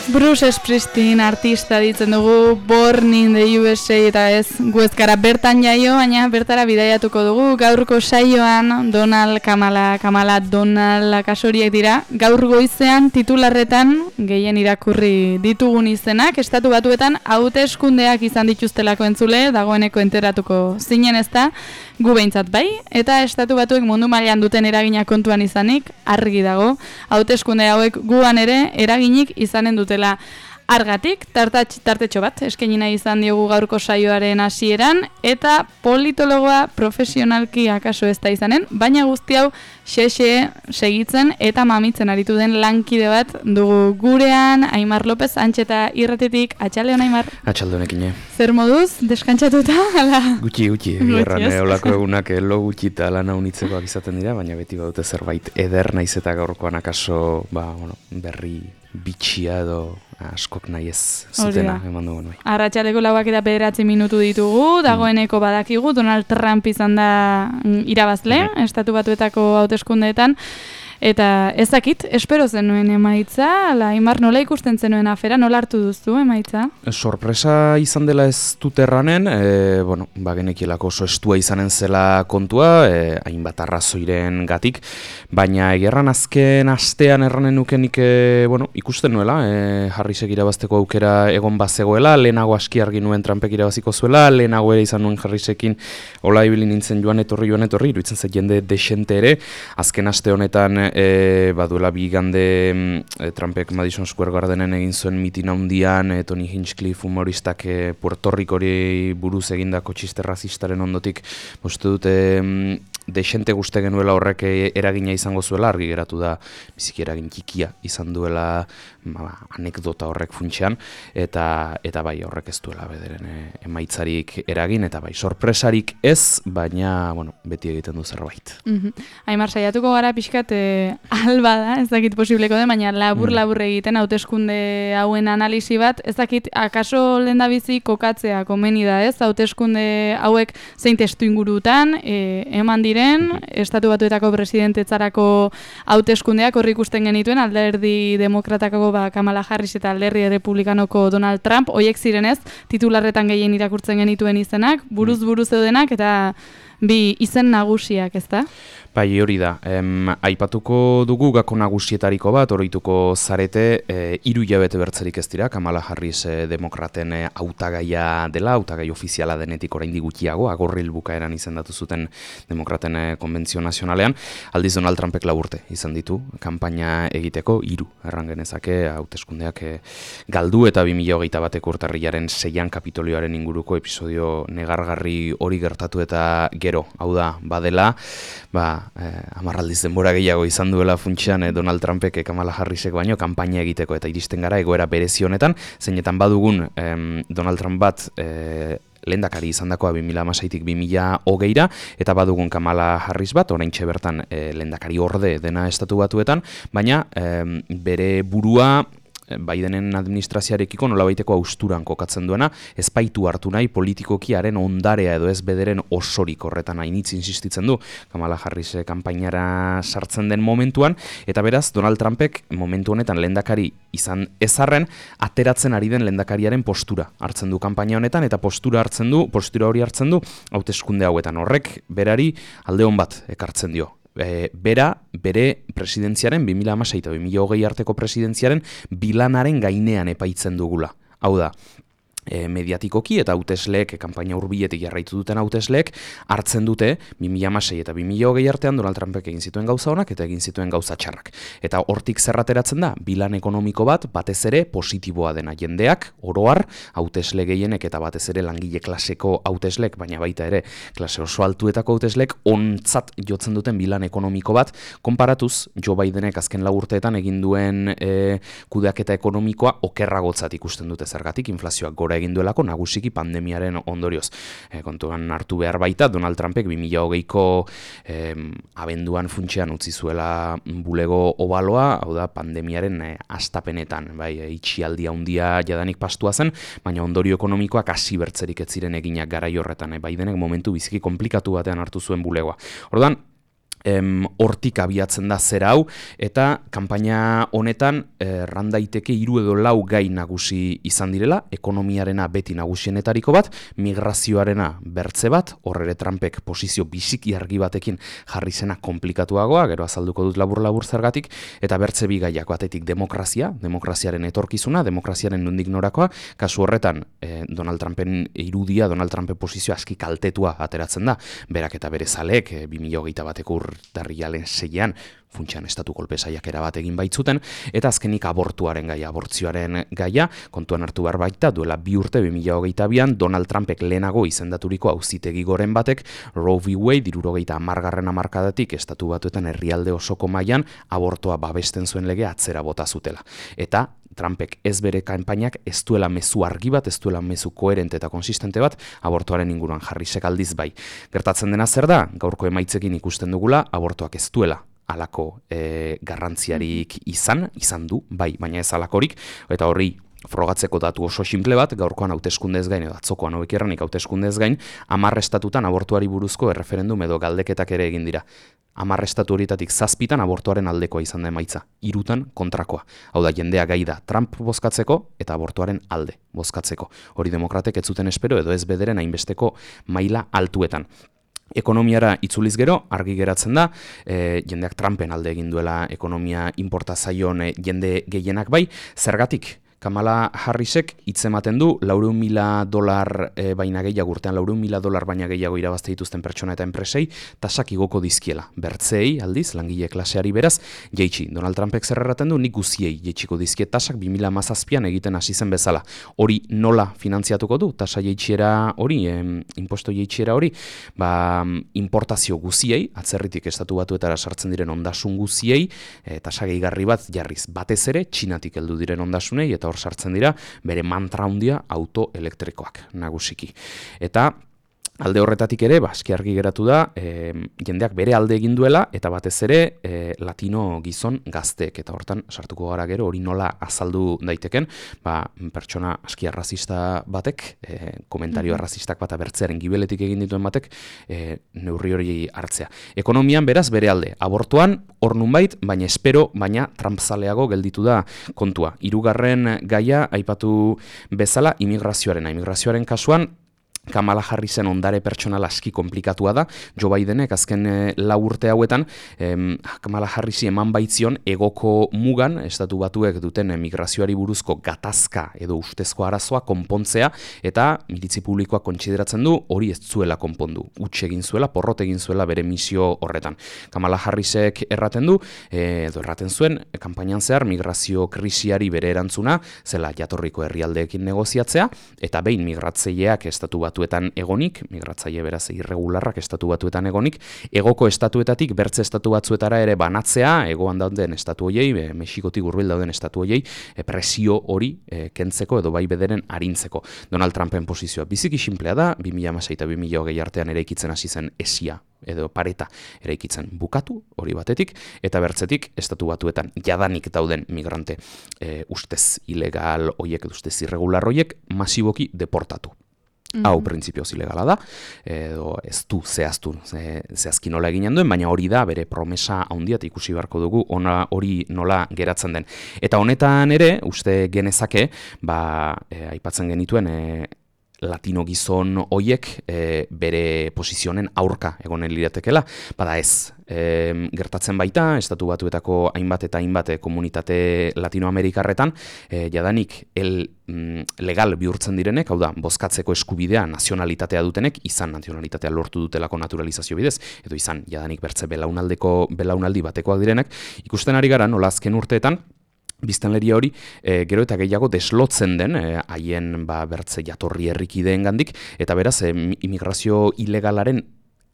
Bruce Springsteen artista ditzen dugu, Born in the USA, eta ez gu ez gara bertan jaio, baina bertara bidaiatuko dugu. Gaurko saioan Kamala Donald kasoriek dira. Gaur goizean titularretan gehien irakurri ditugun izenak, Estatu Batuetan hauteskundeak izan dituztelako entzule, dagoeneko enteratuko zinen ezta, gu behintzat bai, eta Estatu Batuek mundu mailan duten eragina kontuan izanik, argi dago, hauteskunde hauek guan ere eraginik izanen dutela. Argatik, tartetxo bat, eskaini nahi izan diogu gaurko saioaren hasieran, eta politologoa profesionalki akaso ez da izanen, baina guzti hau xe segitzen eta mamitzen aritu den lankide bat dugu gurean, Aimar López, Antxeta Irratetik. Atxaldeon, Aimar? Atxaldeonekine. Zer moduz, deskantzatuta? Gutxi, gerran olako egunak lo gutxi eta lana unitzekoak izaten dira, baina beti badute zerbait eder naiz eta gaurkoan akaso berri bitxia edo askok nahi ez zutena eman dugu. Arratxaleko 9:09 minutu ditugu, dagoeneko badakigu, Donald Trump izan da irabazle, Estatu Batuetako hauteskundeetan, eta ezakit, espero zenuen emaitza, Aimar, nola ikusten zenuen afera, nola hartu duzu emaitza? Sorpresa izan dela ez dut erranen, genekielako oso estua izanen zela kontua, hainbat arrazoiren gatik, baina egerran azken astean erranen nukenik ikusten nuela, Harrisek irabazteko aukera egon bazegoela, lehenago aski argi nuen Trumpek irabaziko zuela, lehenago ere izan nuen Harrisekin hola ibili nintzen joan etorri, iruditzen zait jende desente ere, azken aste honetan baduela bi igande Trumpek Madison Square Gardenen egin zuen mitin handian, Tony Hinchcliffe humoristak Puerto Ricori buruz egindako txiste razistaren ondotik uste dute desente guzti genuela horrek eragina izango zuela, argi geratu da biziki eragin txikia izan duela anekdota horrek funtsean, eta bai horrek ez duela bederen emaitzarik eragin, eta bai sorpresarik ez, baina beti egiten du zerbait. Aimar, saiatuko gara pixkat alba da, ez dakit posibleko den, baina labur egiten hauteskunde hauen analisi bat, ez dakit akaso lehendabizi kokatzea komeni da, ez? Hauteskunde hauek zein testu ingurutan eman diren, Estatu Batuetako presidentetzarako hauteskundeak horri ikusten genituen, alderdi demokratakako Kamala Harris eta alderdi republikanoko Donald Trump, hoiek zirenez, titularretan gehien irakurtzen genituen izenak, buruz zeudenak, eta bi izen nagusiak, ezta? Bai, hori da. Aipatuko dugu gako nagusietariko bat, oroituko zarete, 3 hilabete bertzerik ez dira, Kamala Harris demokraten hautagaia dela, hautagai ofiziala denetik oraindik gutxiago, agorril bukaeran izendatu zuten demokraten konbentzio nazionalean, aldiz Donald Trumpek 4 urte izan ditu, kanpaina egiteko 3, erran genezake, hauteskundeak galdu eta 2021 urtarrilaren 6an Kapitolioaren inguruko episodio negargarri hori gertatu eta gero, hau da, badela, amarraldiz denbora gehiago izan duela funtsean Donald Trumpek Kamala Harrisek baino kanpaina egiteko eta iristen gara egoera berezi honetan, zeinetan badugun Donald Trump bat lehendakari izandakoa 2016tik 2020ra, eta badugun Kamala Harris bat, oraintxe bertan lehendakari orde dena Estatu Batuetan, baina bere burua Bidenen administrazioarekiko nolabaiteko austuran kokatzen duena, ez baitu hartu nahi politikokiaren ondarea edo ez bederen osorik horretan hainitz insistitzen du Kamala Harris kanpainara sartzen den momentuan, eta beraz Donald Trumpek momentu honetan lehendakari izan ezarren, ateratzen ari den lehendakariaren postura hartzen du kanpaina honetan, eta postura hori hartzen du hauteskunde hauetan, horrek berari alde on bat ekartzen dio. Bere presidentziaren, 2016 eta 2020 arteko presidentziaren bilanaren gainean epaitzen dugula. Hau da, mediatikoki eta hautesleek, kanpaina hurbiletik jarraitu duten hautesleek, hartzen dute 2016 eta 2020 artean Donald Trumpek egin zituen gauza onak eta egin zituen gauza txarrak. Eta hortik zerrateratzen da, bilan ekonomiko bat, batez ere positiboa dena jendeak, oroar, hautesle gehienek eta batez ere langile klaseko hautesleek, baina baita ere klase oso altuetako hautesleek, ontzat jotzen duten bilan ekonomiko bat, konparatuz Joe Bidenek azken 4 urteetan egin duen kudeaketa ekonomikoa okerragotzat ikusten dute zergatik, inflazioak gora egin duelako nagusiki pandemiaren ondorioz. Kontuan hartu behar baita, Donald Trumpek 2020ko abenduan funtsean utzi zuela bulego obaloa, hau da pandemiaren hastapenetan, itxialdi handia jadanik pastua zen, baina ondorio ekonomikoak hasi bertzerik ez ziren eginak garai horretan, Bidenek momentu biziki konplikatu batean hartu zuen bulegoa. Orduan, hortik abiatzen da zera hau, eta kanpaina honetan randaiteke 3 edo 4 gai nagusi izan direla, ekonomiarena beti nagusienetariko bat, migrazioarena bertze bat, horre Trumpek posizio bisiki argi batekin jarri zena komplikatuagoa, gero azalduko dut labur-labur zergatik, eta bertze bi gaiak batetik demokraziaren etorkizuna, demokraziaren nondik norakoa, kasu horretan Donald Trumpen irudia, Donald Trumpen posizio aski kaltetua ateratzen da, berak eta bere zaleek 2021 urtarrilaren 6an funtsean estatu kolpe saiakera bat egin baitzuten, eta azkenik abortuaren gaia, abortzioaren gaia, kontuan hartu behar baita, duela 2 urte 2022an Donald Trumpek lehenago izendaturiko auzitegi goren batek Roe v. Wade 70. hamarkadatik estatu batuetan herrialde osoko mailan abortoa babesten zuen lege atzera bota zutela. Eta Trumpek ez bere kanpainak ez duela mezu argi bat, ez duela mezu koherente eta konsistente bat abortoaren inguruan jarri sekaldiz bai. Gertatzen dena zer da, gaurko emaitzekin ikusten dugula, abortoak ez duela halako garrantziarik izan du, bai, baina ez halakorik, eta horri frogatzeko datu oso simple bat, gaurkoan hauteskundez gain, edo atzokoan hobekierranik hauteskundez gain, 10 estatutan abortuari buruzko erreferendum edo galdeketak ere egin dira. 10 estatu horietatik 7 abortuaren aldekoa izan da emaitza, 3 kontrakoa. Hau da, jendea gai da Trump bozkatzeko eta abortuaren alde bozkatzeko. Hori demokratek ez zuten espero edo ez bederen hainbesteko maila altuetan. Ekonomiara itzuliz gero, argi geratzen da, jendeak Trumpen alde egin duela ekonomia inportazaion jende gehienak bai, zergatik? Kamala Harrisek hitzematen du $400,000 baina gehiago urtean $400,000 baina gehiago irabazte dituzten pertsona eta enpresei tasak igoko dizkiela. Bertzeei aldiz langile klaseari beraz jaitsi. Donald Trumpek zer erraten du nik guziei jaitsiko dizkie tasak 2017an egiten hasi zen bezala. Hori nola finantziatuko du? Tasa jaitsiera hori, imposto jaitsiera hori, importazio guziei, atzerritik estatu batuetara sartzen diren ondasun guziei, tasa gehigarri bat jarriz. Batez ere Txinatik heldu diren ondasunei eta hor sartzen dira bere mantra handia auto elektrikoak nagusiki. Eta alde horretatik ere, aski argi geratu da, jendeak bere alde egin duela, eta batez ere latino gizon gazteek, eta hortan sartuko gara gero, hori nola azaldu daiteken, pertsona aski arrazista batek, komentario arrazistak bat abertzearen gibeletik egin dituen batek, neurri hori hartzea. Ekonomian beraz bere alde, abortuan, hor nunbait, baina espero, baina trampzaleago gelditu da kontua. 3. gaia, aipatu bezala, imigrazioaren kasuan, Kamala Harrisen ondare pertsonal aski komplikatua da, Joe Bidenek azken 4 urte hauetan, Kamala Harrisi eman baitzion egoko mugan, estatu batuek duten migrazioari buruzko gatazka edo ustezko arazoa konpontzea, eta militzi publikoak kontsideratzen du hori ez zuela konpondu. Huts egin zuela, porrot egin zuela bere misio horretan. Kamala Harrisek erraten du, edo erraten zuen, kanpainan zehar migrazio krisiari bere erantzuna, zela jatorriko herrialdeekin negoziatzea, eta behin migratzaileak estatu batuetan egonik, migratzaile beraz irregularrak estatu batuetan egonik, egoko estatuetatik bertze estatu batzuetara ere banatzea, egoan dauden estatu hoiei, Mexikotik hurbil dauden estatu hoiei, presio hori kentzeko edo bai bederen arintzeko. Donald Trumpen posizioa biziki sinplea da, 2016 eta 2020 artean eraikitzen hasi zen esia edo pareta eraikitzen bukatu, hori batetik, eta bertzetik estatu batuetan jadanik dauden migrante ustez ilegal hoiek, ustez irregular hoiek, masiboki deportatu. Hau printzipioz ilegala da, edo ez du zehazki nola eginen duen, baina hori da bere promesa handiat ikusi beharko dugu hori nola geratzen den. Eta honetan ere, uste genezake, aipatzen genituen latino gizon hoiek bere posizionen aurka egonen liratekela, bada ez. Gertatzen baita, estatu batuetako hainbat komunitate latinoamerikarretan, jadanik legal bihurtzen direnek, hau da, bozkatzeko eskubidea nazionalitatea dutenek, izan nazionalitatea lortu dutelako naturalizazio bidez, edo izan jadanik bertze belaunaldi batekoak direnek, ikusten ari gara nola azken urteetan, biztanleria hori gero eta gehiago deslotzen den haien bertze jatorri herrikideengandik, eta beraz immigrazio ilegalaren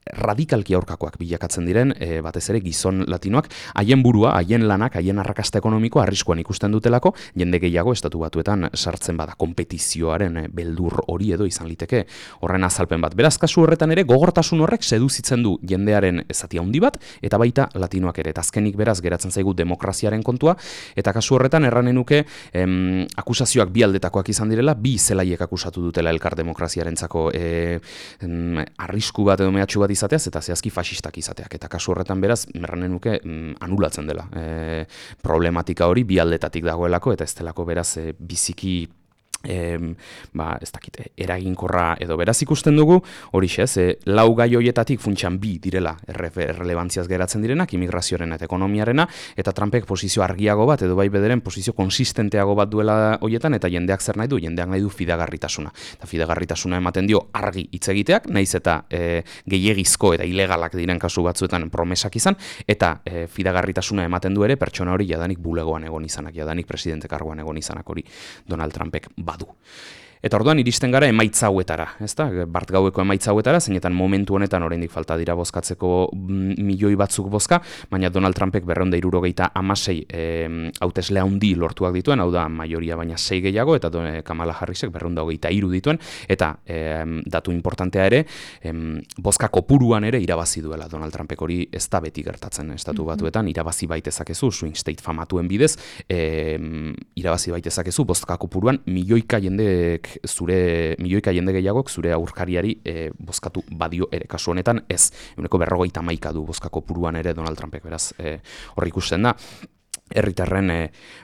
radikalki aurkakoak bilakatzen diren, batez ere gizon latinoak, haien burua, haien lanak, haien arrakasta ekonomikoa arriskuan ikusten dutelako, jende gehiago estatu batuetan sartzen bada, kompetizioaren beldur hori edo izan liteke horren azalpen bat. Beraz, kasu horretan ere, gogortasun horrek seduzitzen du jendearen zati handi bat, eta baita latinoak ere. Eta azkenik beraz, geratzen zaigu demokraziaren kontua, eta kasu horretan erranen nuke akusazioak bi aldetakoak izan direla, bi zelaiek akusatu dutela elkar demokraziarentzako arrisku bat edo mehatxu bat izateaz eta zehazki faxistak izateak. Eta kasu horretan beraz, erranen nuke anulatzen dela. Problematika hori bi aldetatik dagoelako eta ez delako beraz biziki ez dakit, eraginkorra edo beraz ikusten dugu, horixe, lau gai hoietatik funtsan bi direla errelebantziaz geratzen direnak, imigrazioaren eta ekonomiarena, eta Trumpek posizio argiago bat, edo bai bederen posizio konsistenteago bat duela hoietan, eta jendeak zer nahi du? Jendeak nahi du fidagarritasuna. Eta fidagarritasuna ematen dio argi hitz egiteak, naiz eta gehiegizko eta ilegalak diren kasu batzuetan promesak izan, eta fidagarritasuna ematen du ere pertsona hori jadanik bulegoan egon izanak, jadanik presidente karguan egon izanak hori Donald Trumpek badu. Eta orduan iristen gara emaitza hauetara, ezta? Bart gaueko emaitza hauetara, zeinetan momentu honetan oraindik falta dira bozkatzeko milioi batzuk bozka, baina Donald Trumpek 276 hautesle handi lortuak dituen, hau da majoria baina 6 gehiago, eta Kamala Harrisek 223 dituen, eta datu importantea ere, bozka kopuruan ere irabazi duela Donald Trumpek, hori ez da beti gertatzen estatu batuetan, irabazi baitezakezu, swing state famatuen bidez, irabazi baitezakezu bozka kopuruan milioika jende gehiagok zure aurkariari bozkatu badio ere, kasu honetan ez, 151 du bozka kopuruan ere Donald Trumpek, beraz hor ikusten da herritarren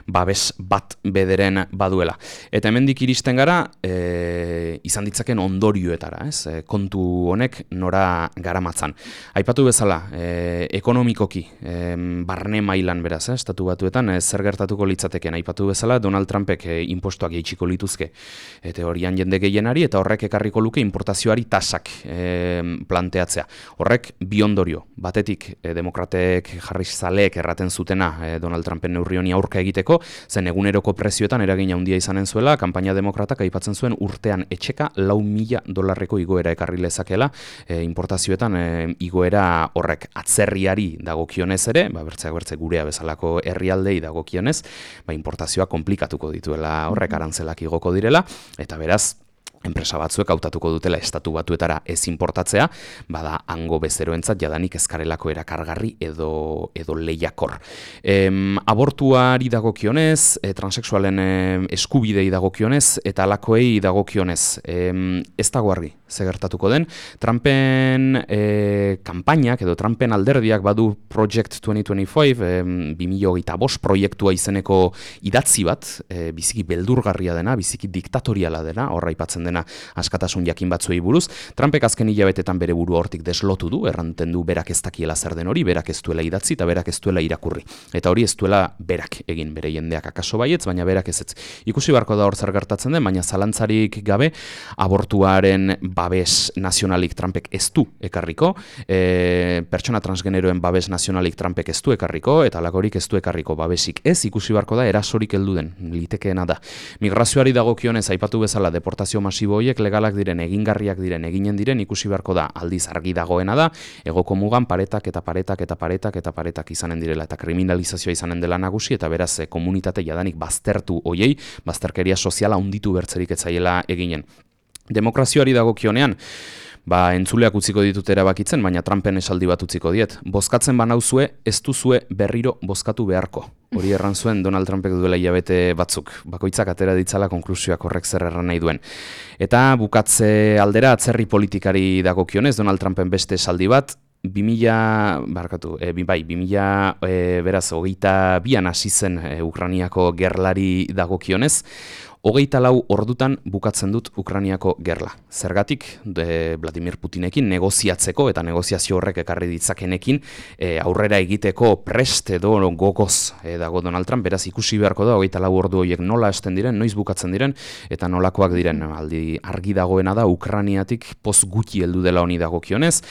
babes bat bederen baduela. Eta hemendik iristen gara izan ditzaken ondorioetara, kontu honek nora garamatzan. Aipatu bezala, ekonomikoki, barne mailan beraz, estatu batuetan, zer gertatuko litzateken. Aipatu bezala, Donald Trumpek inpostuak jaitsiko lituzke teorian jende gehienari, eta horrek ekarriko luke importazioari tasak planteatzea. Horrek bi ondorio, batetik demokratek jarrizaleek erraten zutena Donald Trumpen neurri honi aurka egiteko, zen eguneroko prezioetan eragina handia izanen zuela, kanpaina demokratak aipatzen zuen urtean etxeka $4.000 igoera ekarri lezakela, importazioetan igoera horrek atzerriari dagokionez ere, bertze gurea bezalako herrialdei dagokionez, importazioa konplikatuko dituela horrek arantzelak igoko direla, eta beraz, enpresa batzuek hautatuko dutela estatu batuetara ez importatzea, bada hango bezeroentzat jadanik ezkarelako erakargarri edo lehiakor. Abortuari dagokionez, transexualen eskubidei dagokionez, eta alakoei dagokionez, ez dago argi, ze gertatuko den. Trumpen kanpainak edo Trumpen alderdiak badu Project 2025, 2025 proiektua izeneko idatzi bat, biziki beldurgarria dena, biziki diktatoriala dena, horra aipatzen dena askatasun jakin batzuei buruz. Trumpek azken hilabetetan bere burua hortik deslotu du, erranten du berak ez dakiela zer den hori, berak ez duela idatzi eta berak ez duela irakurri. Eta hori ez duela berak egin, bere jendeak akaso baietz, baina berak ez. Ikusi beharko da hor zer gertatzen den, baina zalantzarik gabe abortuaren babes nazionalik Trumpek ez du ekarriko, pertsona transgeneroen babes nazionalik Trumpek ez du ekarriko, eta alakorik ez du ekarriko babesik ez, ikusi beharko da erasorik heldu den, litekeena da. Migrazioari dagokionez aipatu bezala deportazio masibo horiek legalak diren, egingarriak diren, eginen diren, ikusi beharko da aldiz argi dagoena da, egoko mugan paretak izanen direla, eta kriminalizazioa izanen dela nagusi, eta beraz komunitate jadanik baztertu hoiei, bazterkeria soziala hunditu bertzerik etzaiela eginen. Demokrazioari dagokionean, entzuleak utziko ditut erabakitzen, baina Trumpen esaldi bat utziko diet. Bozkatzen banauzue, ez duzue berriro bozkatu beharko. Hori erran zuen Donald Trumpek duela hilabete batzuk. Bakoitzak atera ditzala konklusioak horrek zer erran nahi duen. Eta bukatze aldera atzerri politikari dagokionez, Donald Trumpen beste esaldi bat, 2022an hasi zen Ukrainiako gerlari dagokionez, 24 ordutan bukatzen dut Ukrainiako gerla. Zergatik, Vladimir Putinekin negoziatzeko eta negoziazio horrek ekarri ditzakenekin aurrera egiteko prest edo gogoz dago Donald Trump, beraz ikusi beharko da 24 ordu horiek nola hasten diren, noiz bukatzen diren, eta nolakoak diren. Aldi argi dagoena da Ukrainiatik poz gutxi heldu dela honi dagokionez,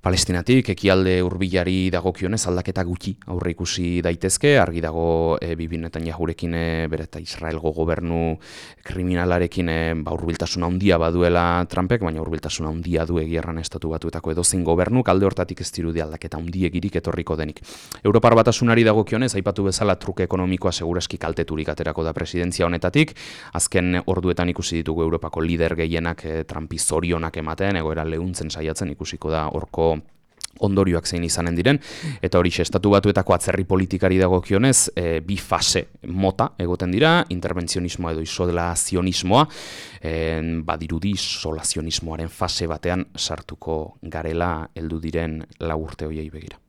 Palestinatik, ekialde hurbilari dagokionez aldaketa gutxi aurre ikusi daitezke, argi dago Bibi Netanyahurekin bere eta Israelgo gobernu kriminalarekin hurbiltasun handia baduela Trumpek, baina hurbiltasun handia du egierran estatu batuetako edozein gobernuk, alde hortatik ez dirudi aldaketa handiegirik etorriko denik. Europar Batasunari dagokionez, aipatu bezala truke ekonomikoa seguraski kalteturik aterako da presidentzia honetatik, azken orduetan ikusi ditugu Europako lider gehienak Trumpi zorionak ematen, egoera leuntzen saiatzen ikusiko da horko ondorioak zein izanen diren, eta hori estatu batuetako atzerri politikari dagokionez, bi fase mota egoten dira, interbentzionismoa edo isolazionismoa, badirudi isolazionismoaren fase batean sartuko garela heldu diren 4 urte horiei begira.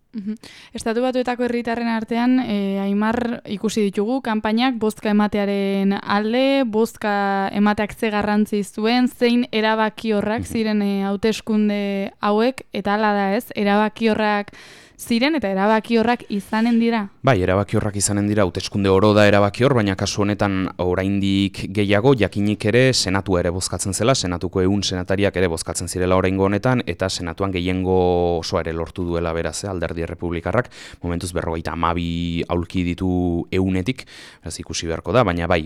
Estatu Batuetako herritarren artean, Aimar, ikusi ditugu, kanpainak bozka ematearen alde, bozka emateak ze garrantzi zuen, zein erabakiorrak ziren hauteskunde hauek, eta hala da ez, erabakiorrak ziren eta erabakiorrak izanen dira? Bai, erabakiorrak izanen dira, hauteskunde oro da erabakior, baina kasu honetan oraindik gehiago, jakinik ere senatua ere bozkatzen zela, senatuko 100 senatariak ere bozkatzen zirela oraingo honetan, eta senatuan gehiengo osoa ere lortu duela beraz, alderdi errepublikarrak, momentuz 52 aulki ditu 100-etik, beraz ikusi beharko da, baina bai,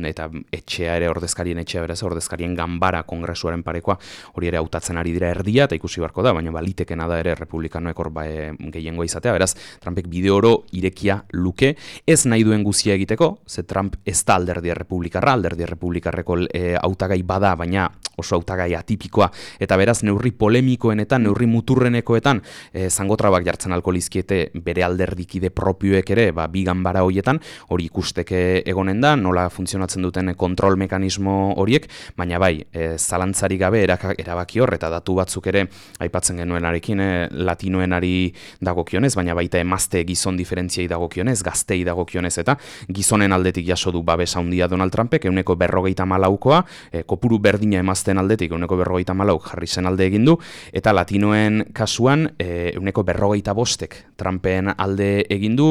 eta etxea ere ordezkarien etxea beraz, ordezkarien ganbara kongresuaren parekoa, hori ere hautatzen ari dira erdia, eta ikusi beharko da, baina balitekena da ere republikanoek hor gehiengoa izatea, beraz, Trumpek bide oro irekia luke, ez nahi duen guzia egiteko, ze Trump ez da alderdi errepublikarreko hautagai bada, baina oso hautagai atipikoa, eta beraz, neurri polemikoenetan, neurri muturrenekoetan, zangotrabak jartzen alko lizkiete bere alderdikide propioek ere, bi ganbara horietan, hori ikusteke egonen da, nola funtzionatzen duten kontrol mekanismo horiek, baina bai, zalantzari gabe erabaki hor, eta datu batzuk ere, aipatzen genuenarekin, latinoenari dagokionez, baina baita emazte gizon diferentziai dagokionez, gaztei dagokionez, eta gizonen aldetik jaso du babesa handia Donald Trumpek, 154koa, kopuru berdina emazten aldetik 154 jarri zen alde egin du, eta latinoen kasuan 155 Trumpen alde egin du,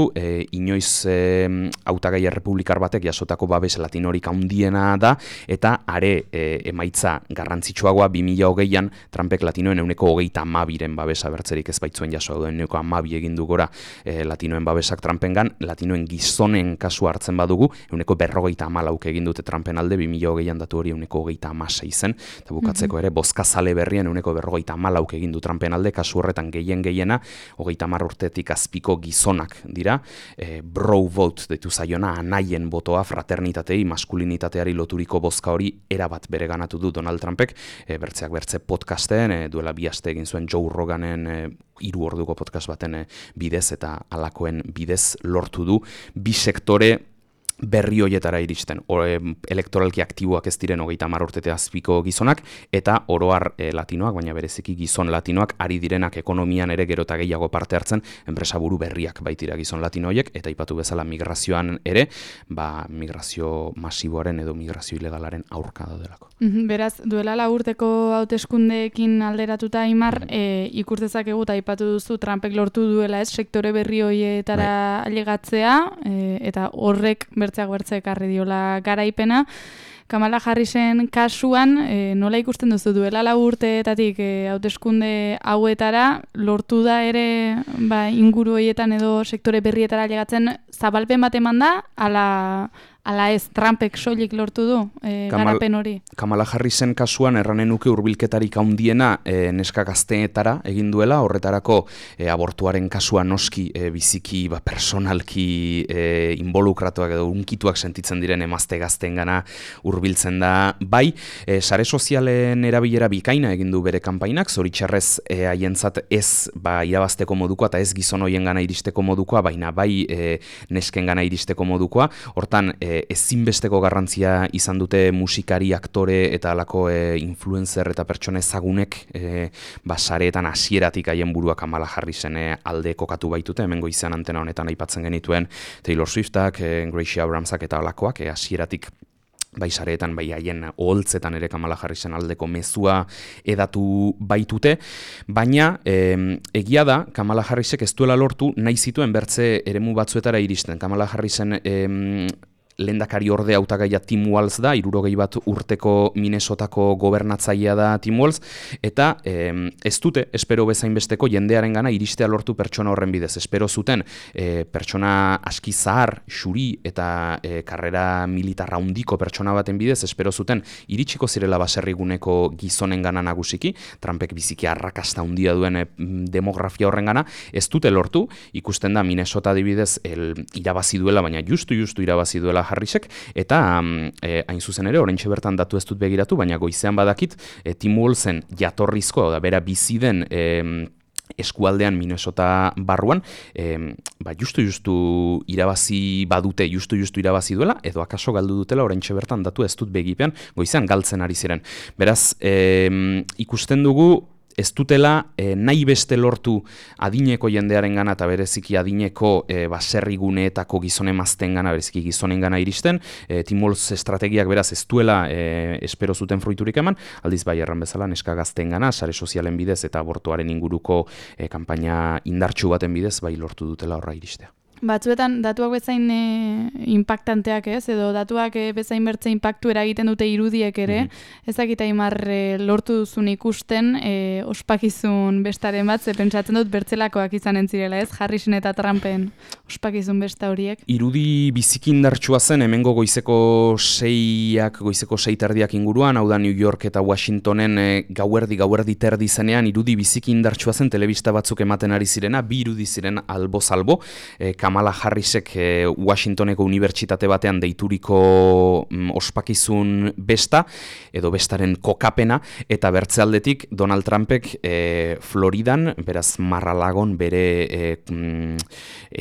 inoiz hautagai errepublikar batek jasotako babes latinorik handiena da, eta are emaitza garrantzitsuagoa 2020an Trumpek latinoen 132ren babesa bertzerik ez baitzuen jaso duen 112 egin du gora latinoen babesak Trumpengan, latinoen gizonen kasu hartzen badugu 154 egin dute Trumpen alde, 2020an datu hori 126 zen, eta bukatzeko ere, bozkazale berrien 154 egin du Trumpen alde, kasu horretan gehiena, 30 urtetik azpiko gizonak dira, bro vote deitu zaiona, anaien botoa, fraternitatei, maskulinitateari loturiko bozka hori erabat bereganatu du Donald Trumpek, bertzeak bertze podcasten, duela 2 aste egin zuen Joe Roganen 3 orduko podcast baten bidez eta halakoen bidez lortu du bi sektore berri hoietara iristen, elektoralki aktiboak ez diren 30 urtete azpiko gizonak, eta oroar latinoak, baina bereziki gizon latinoak, ari direnak ekonomian ere gero eta gehiago parte hartzen, enpresaburu berriak baitira gizon latino horiek, eta aipatu bezala migrazioan ere, migrazio masiboaren edo migrazio ilegalaren aurka daudelako. Beraz, duela 4 urteko hauteskundeekin alderatuta, Aimar, ikustezakegu eta aipatu duzu Trumpek lortu duela ez, sektore berri horietara ailegatzea, eta horrek bertzeak ekarri diola garaipena. Kamala Harrisen kasuan, nola ikusten duzu duela 4 urteetatik hauteskunde hauetara, lortu da ere inguru horietan edo sektore berrietara ailegatzen zabalpen bat eman da, ala ez, Trumpek soilik lortu du garapen hori? Kamala Harrisen kasuan erranen nuke hurbilketarik handiena neska gazteetara egin duela, horretarako abortuaren kasuan noski biziki personalki involukratuak edo unkituak sentitzen diren emazte gazteengana hurbiltzen da bai, sare sozialen erabilera bikaina egin du bere kanpainak, zoritxarrez haientzat ez irabazteko modukoa eta ez gizon hoiengana iristeko modukoa, baina bai neskengana iristeko modukoa, hortan ezinbesteko garrantzia izan dute musikari, aktore eta halako influencer eta pertsona ezagunek sareetan hasieratik haien burua Kamala Harrisen alde kokatu baitute, hemen goizean antena honetan aipatzen genituen Taylor Swiftak, Gracie Abramsak eta halakoak hasieratik sareetan, haien oholtzetan ere Kamala Harrisen aldeko mezua edatu baitute, baina egia da, Kamala Harrisek ez duela lortu nahi zituen bertze eremu batzuetara iristen. Kamala Harrisen lehendakari orde hautagaia Tim Walz da, 61 urteko Minnesotako gobernatzailea da Tim Walz, eta ez dute, espero bezain besteko jendearen gana iristea lortu pertsona horren bidez. Espero zuten pertsona aski zahar, xuri eta karrera militarra handiko pertsona baten bidez, espero zuten iritsiko zirela baserriguneko gizonen gana nagusiki, Trumpek biziki arrakasta handia duen demografia horren gana, ez dute lortu, ikusten da Minnesota adibidez irabazi duela, baina justu irabazi duela Harrisek, eta hain zuzen ere, oraintxe bertan datu ez dut begiratu, baina goizean badakit, Tim Walzen jatorrizko, bera bizi den eskualdean Minnesota barruan, justu irabazi badute, justu irabazi duela, edo akaso galdu dutela, oraintxe bertan datu ez dut begipean, goizean galtzen ari ziren. Beraz, ikusten dugu, ez dutela nahi beste lortu adineko jendearen gana eta bereziki adineko baserriguneetako gizon-emazten gana, bereziki gizonen gana iristen, Tim Walz estrategiak beraz ez duela espero zuten fruiturik eman, aldiz bai erran bezala neska gazten gana, sare sozialen bidez eta abortuaren inguruko kanpaina indartsu baten bidez bai lortu dutela horra iristea. Batzuetan datuak bezain impactanteak ez, edo datuak bezain bertze impactu eragiten dute irudiek ere, ezakit Aimar lortu duzun ikusten ospakizun bestaren bat, ze pentsatzen dut bertzelakoak izanen zirela ez, Harrisen eta Trumpen ospakizun besta horiek. Irudi biziki indartsua zen, hemengo goizeko 6 inguruan, hau da New York eta Washingtonen gauerdi terdi zenean, irudi biziki indartsua zen, telebista batzuk ematen ari zirena, bi irudi ziren albo-salbo, Kamala Harrisek Washingtoneko unibertsitate batean deituriko ospakizun besta, edo bestaren kokapena, eta bertzealdetik Donald Trumpek Floridan, beraz Mar-a-Lagon bere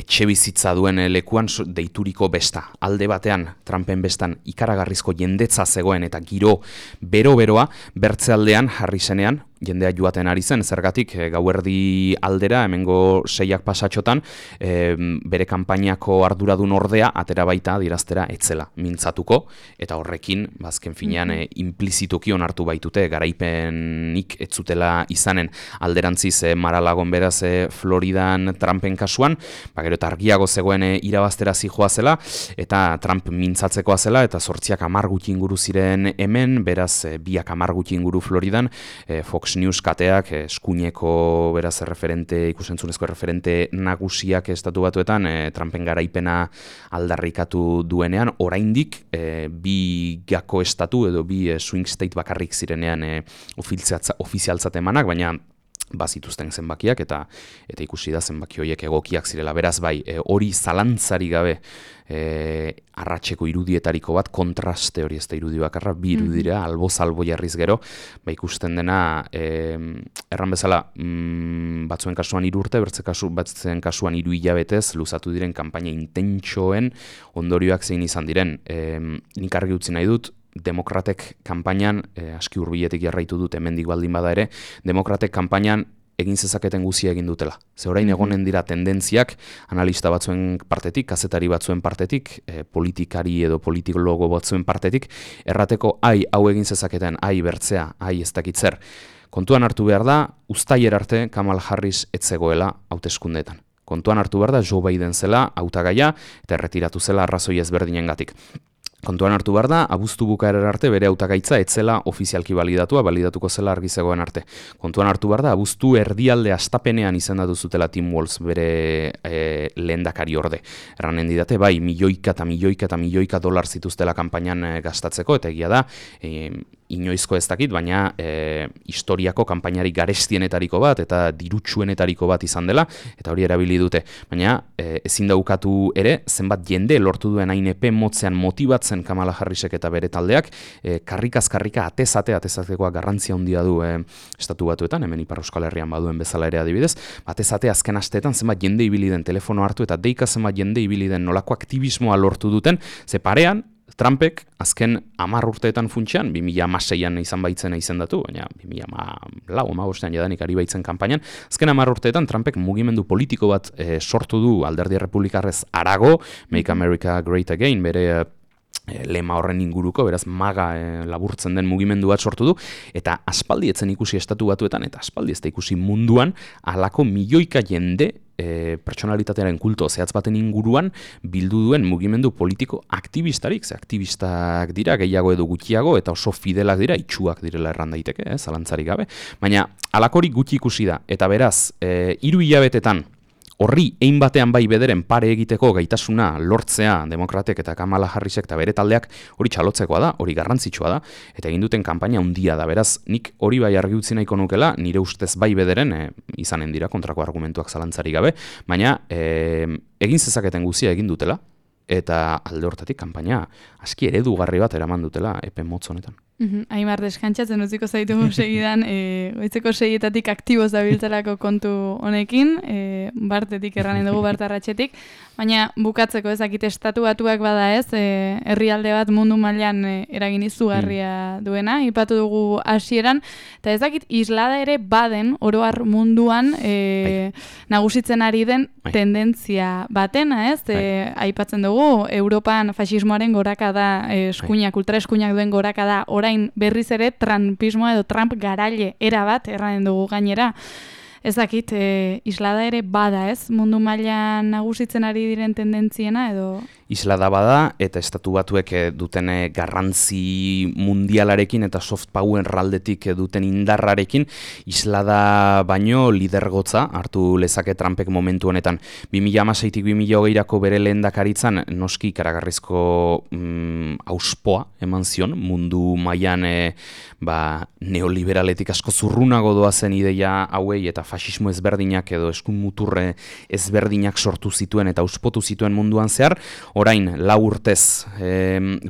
etxebizitza duen lekuan deituriko besta. Alde batean, Trumpen bestan ikaragarrizko jendetza zegoen eta giro bero-beroa, bertzealdean Harrisenean, jendea joaten ari zen, zergatik gauerdi aldera, hemengo 6 pasatxotan, bere kanpainako arduradun ordea, atera baita diraztera etzela mintzatuko, eta horrekin, bazken finean, implizituki onartu baitute, garaipenik etzutela izanen alderantziz Mar-a-Lagon beraz Floridan Trumpen kasuan, gero eta argiago zegoen irabaztera zijoa zela, eta Trump mintzatzekoa zela, eta 8 gutxi inguru ziren hemen, beraz 2 gutxi inguru Floridan, Fox News kateak eskuineko beraz ikusentzunezko referente nagusiak estatu batuetan Trumpen garaipena aldarrikatu duenean, oraindik bi gako estatu edo bi swing state bakarrik zirenean ofizialtzat emanak, baina bazituzten zenbakiak eta ikusi da zenbaki horiek egokiak zirela. Beraz bai, hori zalantzari gabe arratseko irudietariko bat, kontraste hori ez da irudi bakarra, bi irudira, albo-zalbo jarriz gero, ikusten dena, erran bezala, batzuen kasuan 3 urte, batzuen kasuan 3 hilabetez, luzatu diren kanpaina intentsoen ondorioak zein izan diren. Nik argi utzi nahi dut, Demokratek kanpainan, aski hurbiletik jarraitu dut hemendik baldin bada ere, Demokratek kanpainan egin zezaketen guzia egin dutela. Ze orain egonen dira tendentziak, analista batzuen partetik, kazetari batzuen partetik, politikari edo politikologo batzuen partetik, errateko hau egin zezaketen, bertzea, ez dakitzer. Kontuan hartu behar da, uztailer arte Kamala Harris etzegoela hauteskundeetan. Kontuan hartu behar da, Joe Biden zela hautagaia eta erretiratu zela arrazoi ezberdinengatik. Kontuan hartu behar da, abuztu bukaerar arte bere hautagaitza etzela ofizialki balidatuko zela argi zegoen arte. Kontuan hartu behar da, abuztu erdialde astapenean izendatu zutela Tim Walz bere lehendakari orde. Erranen didate, bai, milioika dolar zituztela kanpainan gastatzeko, eta egia da, inoizko ez dakit, baina historiako kanpainari garestienetariko bat eta dirutsuenetariko bat izan dela, eta hori erabili dute. Baina ezin daukatu ere, zenbat jende lortu duen hain epe motzean motibatzen Kamala Harrisek eta bere taldeak, karrikaz-karrika atezatekoa garrantzia handia du estatu batuetan, hemen Ipar Euskal Herrian baduen bezala ere adibidez, atezate azken asteetan zenbat jende ibili den telefono hartu eta deika zenbat jende ibili den nolako aktivismoa lortu duten, ze parean, Trumpek azken 10 urteetan funtsean, 2016an izan baitzena izendatu, baina 2014an jadanik ari baitzen kanpainan, azken 10 urteetan Trumpek mugimendu politiko bat sortu du alderdi errepublikarrez harago, Make America Great Again, bere lema horren inguruko, beraz maga laburtzen den mugimendu bat sortu du, eta aspaldi etzen ikusi estatu batuetan, eta aspaldi ez da ikusi munduan, halako milioika jende pertsonalitatearen kulto zehatz baten inguruan bildu duen mugimendu politiko aktivistarik, ze aktivistak dira, gehiago edo gutxiago, eta oso fidelak dira, itxuak direla erran daiteke, zalantzarik gabe, baina halakorik gutxi ikusi da, eta beraz, 3 hilabetetan, horri ein batean bai bederen pare egiteko gaitasuna lortzea Demokratek eta Kamala Harrisek eta bere taldeak hori txalotzekoa da, hori garrantzitsua da, eta egin duten kanpaina handia da, beraz, nik hori bai argi utzi nahiko nukela, nire ustez bai bederen, izanen dira kontrako argumentuak zalantzari gabe, baina egin zezaketen guzia egin dutela, eta alde hortatik kanpaina aski eredugarri bat eraman dutela epe motz honetan. Aimar deskantzatzen utziko zaitugu segidan, goitzeko 6etatik aktiboz dabiltzelako kontu honekin, Bartetik erranen dugu, Bartarratxetik, baina bukatzeko ezakit estatu batuak bada ez, herrialde bat mundu mailan eragin izugarria duena, ipatu dugu hasieran, eta ezakit islada ere baden, oroar munduan nagusitzen ari den tendentzia batena ez, aipatzen dugu, Europan fasismoaren gorakada, eskuinak, ultraeskuinak duen gorakada, orain berriz ere Trumpismoa edo Trump garaile erabat erranen dugu gainera. Ez dakit, islada ere bada ez, mundu mailan nagusitzen ari diren tendentziena edo... Islada bada eta estatu batuek duten garrantzi mundialarekin eta soft power raldetik duten indarrarekin islada baino lidergotza hartu lezake Trumpek momentu honetan. 2016tik 2020rako bere lehendakaritzan noski ikaragarrizko auspoa eman zion mundu mailan neoliberaletik asko zurrunago doazen ideia hauei eta fasismo ezberdinak edo eskun muturre ezberdinak sortu zituen eta auspotu zituen munduan zehar. Orain, 4 urtez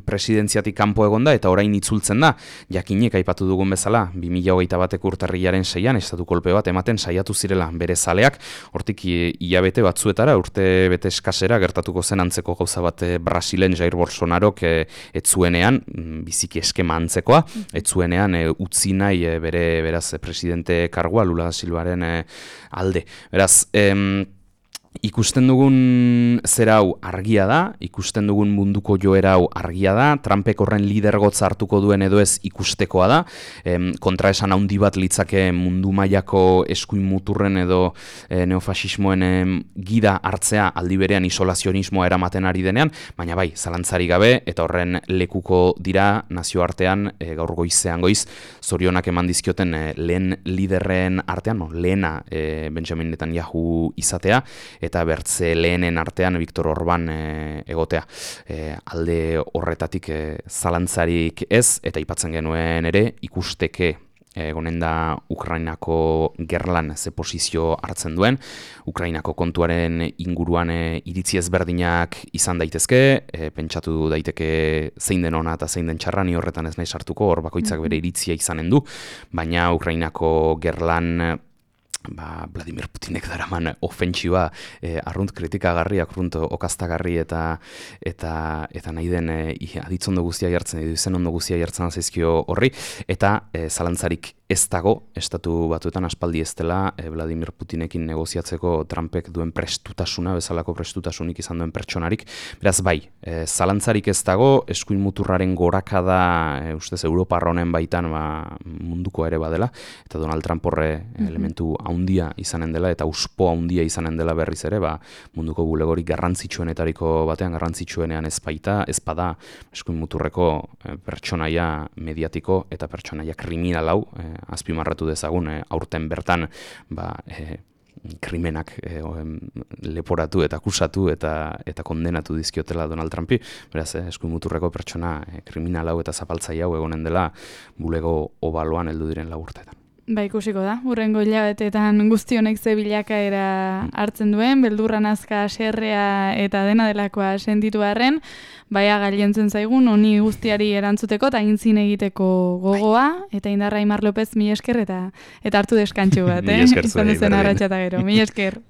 presidentziatik kanpo egonda eta orain itzultzen da. Jakinek aipatu dugun bezala, 2021 urtarrilaren 6an estatu kolpe bat ematen saiatu zirela bere zaleak, hortik hilabete batzuetara, urte bete eskasera gertatuko zen antzeko gauza bat Brasilen Jair Bolsonarok etzuenean, biziki eskema antzekoa, etzuenean utzi nahi beraz presidente kargua Lula da Silvaren alde. Beraz, ikusten dugun zera hau argia da, ikusten dugun munduko joera hau argia da, Trumpek horren lidergotza hartuko duen edo ez ikustekoa da, kontraesan handi bat litzake mundu mailako eskuin muturren edo neofasismoen gida hartzea aldi berean isolazionismoa eramaten ari denean, baina bai, zalantzari gabe eta horren lekuko dira nazioartean gaur goizean goiz, zorionak eman dizkioten lehen liderren artean, lehena Benjamin Netanyahu izatea, eta bertze lehenen artean Viktor Orban egotea. Alde horretatik zalantzarik ez, eta aipatzen genuen ere, ikusteke egonen da Ukrainako gerlan ze posizio hartzen duen, Ukrainako kontuaren inguruan iritzi ezberdinak izan daitezke, pentsatu daiteke zein den ona eta zein den txarra, ni horretan ez nahi sartuko, hor bakoitzak bere iritzia izanen du, baina Ukrainako gerlan Vladimir Putinek daraman ofentsiba arrunt kritikagarri, arrunt okaztagarri eta nahi den aditzondo guztia jartzen, izen ondo guztia jartzen zaizkio horri, eta zalantzarik ez dago, estatu batuetan aspaldi ez dela Vladimir Putinekin negoziatzeko Trumpek duen prestutasuna, bezalako prestutasunik izan duen pertsonarik, beraz bai, zalantzarik ez dago, eskuin muturraren gorakada, ustez Europar honen baitan munduko ere badela, eta Donald Trump horre elementu haundia izanen dela, eta uspo haundia izanen dela berriz ere, munduko bulegorik garrantzitsuenetariko batean, garrantzitsuenean ezpada eskuin muturreko pertsonaia mediatiko eta pertsonaia kriminal hau, azpimarratu dezagun, aurten bertan krimenak leporatu eta akusatu eta kondenatu dizkiotela Donald Trumpi, beraz, eskuin muturreko pertsona kriminal hau eta zapaltzaile hau egonen dela bulego obaloan heldu diren 4 urteetan. Ikusiko da, hurrengo hilabetetan guzti honek ze bilakaera hartzen duen, beldurra nazka, haserrea eta dena delakoa sentitu arren, gailentzen zaigun, honi guztiari erantzuteko eta aintzin egiteko gogoa, eta indarra Aimar López, mila esker eta hartu deskantxu bat, Mila esker izan duzen arratsa eta gero, mila esker.